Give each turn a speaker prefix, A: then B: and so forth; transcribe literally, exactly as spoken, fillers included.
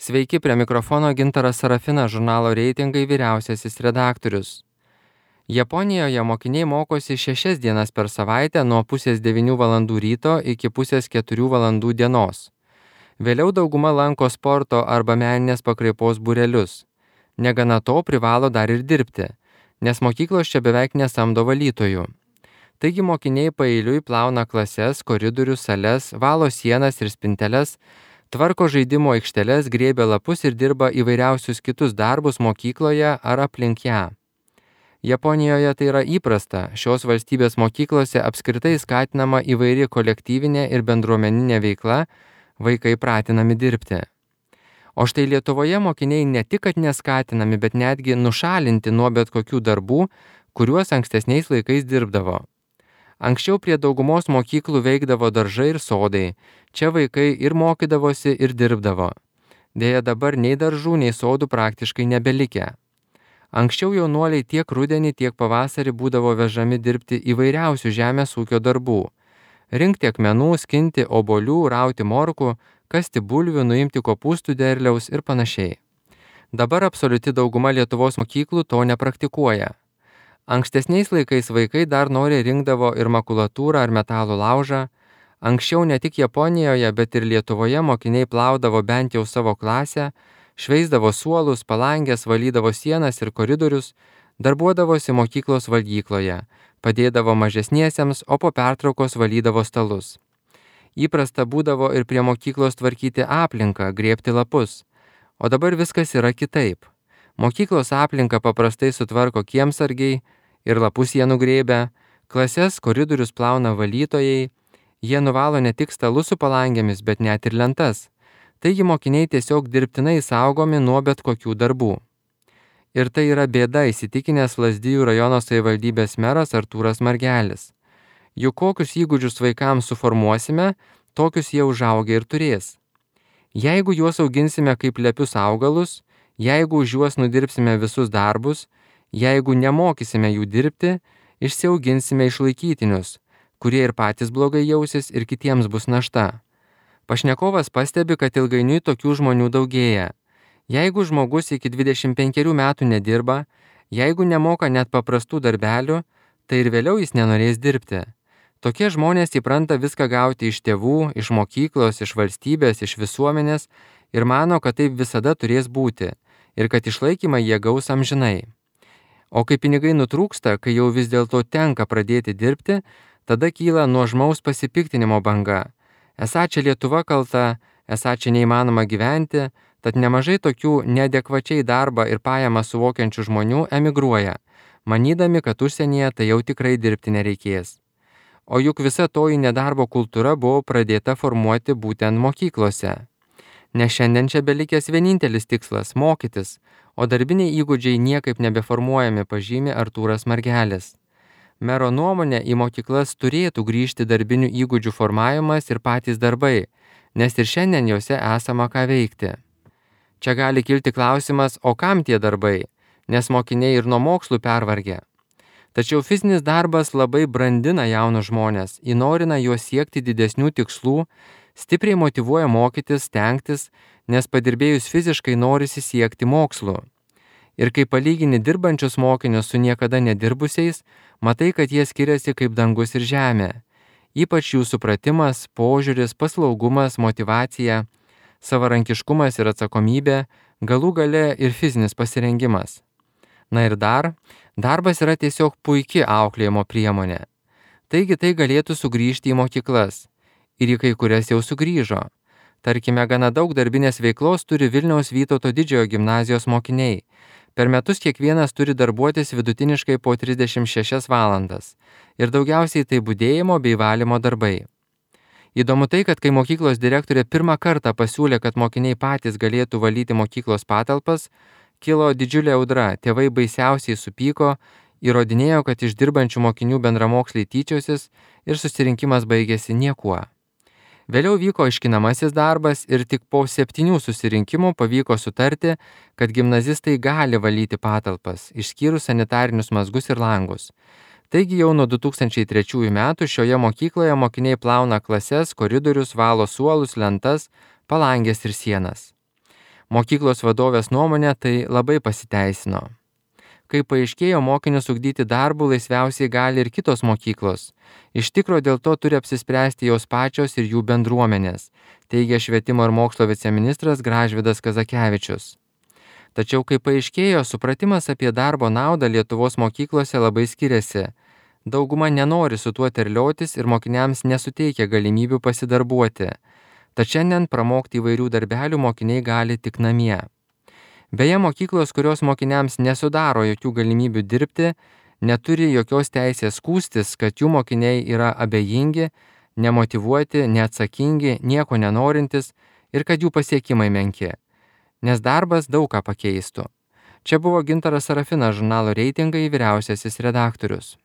A: Sveiki, prie mikrofono Gintaras Sarafinas, žurnalo Reitingai vyriausiasis redaktorius. Japonijoje mokiniai mokosi šešias dienas per savaitę nuo pusės devynių valandų ryto iki pusės keturių valandų dienos. Vėliau dauguma lanko sporto arba meninės pakraipos būrelius. Negana to privalo dar ir dirbti, nes mokyklos čia beveik nesamdo valytojų. Taigi mokiniai paeiliui plauna klases, koridorius, sales, valo sienas ir spinteles, tvarko žaidimo aikšteles, grėbia lapus ir dirba įvairiausius kitus darbus mokykloje ar aplink ją. Japonijoje tai yra įprasta, šios valstybės mokyklose apskritai skatinama įvairi kolektyvinė ir bendruomeninė veikla, vaikai pratinami dirbti. O štai Lietuvoje mokiniai ne tik kad neskatinami, bet netgi nušalinti nuo bet kokių darbų, kuriuos ankstesniais laikais dirbdavo. Anksčiau prie daugumos mokyklų veikdavo daržai ir sodai, čia vaikai ir mokydavosi ir dirbdavo. Deja dabar nei daržų, nei sodų praktiškai nebelikę. Anksčiau jaunuoliai tiek rudenį, tiek pavasarį būdavo vežami dirbti įvairiausių žemės ūkio darbų. Rinkti akmenų, skinti obuolių, rauti morkų, kasti bulvių, nuimti kopūstų derliaus ir panašiai. Dabar absoliuti dauguma Lietuvos mokyklų to nepraktikuoja. Ankstesniais laikais vaikai dar nori rinkdavo ir makulatūrą ar metalų laužą. Anksčiau ne tik Japonijoje, bet ir Lietuvoje mokiniai plaudavo bent jau savo klasę, šveisdavo suolus, palangės, valydavo sienas ir koridorius, darbuodavosi mokyklos valgykloje, padėdavo mažesniesiems, o po pertraukos valydavo stalus. Įprasta būdavo ir prie mokyklos tvarkyti aplinką, grėbti lapus. O dabar viskas yra kitaip. Mokyklos aplinką paprastai sutvarko kiemsargiai ir lapus jie nugrėbia, klases, koridorius plauna valytojai, jie nuvalo ne tik stalus su palangėmis, bet net ir lentas. Taigi mokiniai tiesiog dirbtinai saugomi nuo bet kokių darbų. Ir tai yra bėda, įsitikinęs Lazdijų rajono savivaldybės meras Artūras Margelis. Juk kokius įgūdžius vaikams suformuosime, tokius jie užaugę ir turės. Jeigu juos auginsime kaip lepius augalus, jeigu už juos nudirbsime visus darbus, jeigu nemokysime jų dirbti, išsiauginsime išlaikytinius, kurie ir patys blogai jausis ir kitiems bus našta. Pašnekovas pastebi, kad ilgainiui tokių žmonių daugėja. Jeigu žmogus iki dvidešimt penkerių metų nedirba, jeigu nemoka net paprastų darbelių, tai ir vėliau jis nenorės dirbti. Tokie žmonės įpranta viską gauti iš tėvų, iš mokyklos, iš valstybės, iš visuomenės ir mano, kad taip visada turės būti ir kad išlaikymą jie gaus amžinai. O kai pinigai nutrūksta, kai jau vis dėlto tenka pradėti dirbti, tada kyla nuožmaus pasipiktinimo banga. Esą čia Lietuva kalta, esą čia neįmanoma gyventi, tad nemažai tokių neadekvačiai darbą ir pajamą suvokiančių žmonių emigruoja, manydami, kad užsienyje tai jau tikrai dirbti nereikės. O juk visa toji nedarbo kultūra buvo pradėta formuoti būtent mokyklose. Nes šiandien čia belikęs vienintelis tikslas – mokytis, o darbiniai įgūdžiai niekaip nebeformuojami, pažymi Artūras Margelis. Mero nuomonė, į mokyklas turėtų grįžti darbinių įgūdžių formavimas ir patys darbai, nes ir šiandien juose esama ką veikti. Čia gali kilti klausimas, o kam tie darbai, nes mokiniai ir nuo mokslų pervargę. Tačiau fizinis darbas labai brandina jaunus žmonės, įnorina juos siekti didesnių tikslų, stipriai motyvuoja mokytis, stengtis, nes padirbėjus fiziškai norisi siekti mokslų. Ir kai palygini dirbančius mokinius su niekada nedirbusiais, matai, kad jie skiriasi kaip dangus ir žemė. Ypač jų supratimas, požiūris, paslaugumas, motyvacija, savarankiškumas ir atsakomybė, galų gale ir fizinis pasirengimas. Na ir dar, darbas yra tiesiog puiki auklėjimo priemonė. Taigi tai galėtų sugrįžti į mokyklas. Ir į kai kurias jau sugrįžo. Tarkime, gana daug darbinės veiklos turi Vilniaus Vytauto Didžiojo gimnazijos mokiniai. Per metus kiekvienas turi darbuotis vidutiniškai po trisdešimt šešias valandas ir daugiausiai tai budėjimo bei valymo darbai. Įdomu tai, kad kai mokyklos direktorė pirmą kartą pasiūlė, kad mokiniai patys galėtų valyti mokyklos patalpas, kilo didžiulė audra, tėvai baisiausiai supyko, įrodinėjo, kad iš dirbančių mokinių bendramoksliai tyčiosis ir susirinkimas baigėsi niekuo. Vėliau vyko aiškinamasis darbas ir tik po septynių susirinkimų pavyko sutarti, kad gimnazistai gali valyti patalpas, išskyrus sanitarinius mazgus ir langus. Taigi jau nuo du tūkstančiai trečiųjų metų šioje mokykloje mokiniai plauna klases, koridorius, valo suolus, lentas, palangės ir sienas. Mokyklos vadovės nuomonė tai labai pasiteisino. Kai paaiškėjo, mokinius ugdyti darbų laisviausiai gali ir kitos mokyklos. Iš tikro dėl to turi apsispręsti jos pačios ir jų bendruomenės, teigia švietimo ir mokslo viceministras Gražvydas Kazakevičius. Tačiau, kai paaiškėjo, supratimas apie darbo naudą Lietuvos mokyklose labai skiriasi. Dauguma nenori su tuo terliotis ir mokiniams nesuteikia galimybių pasidarbuoti. Tad šiandien pramokti įvairių darbelių mokiniai gali tik namie. Beje, mokyklos, kurios mokiniams nesudaro jokių galimybių dirbti, neturi jokios teisės skųstis, kad jų mokiniai yra abejingi, nemotyvuoti, neatsakingi, nieko nenorintis ir kad jų pasiekimai menki. Nes darbas daug ką pakeistų. Čia buvo Gintaras Sarafinas, žurnalo Reitingai vyriausiasis redaktorius.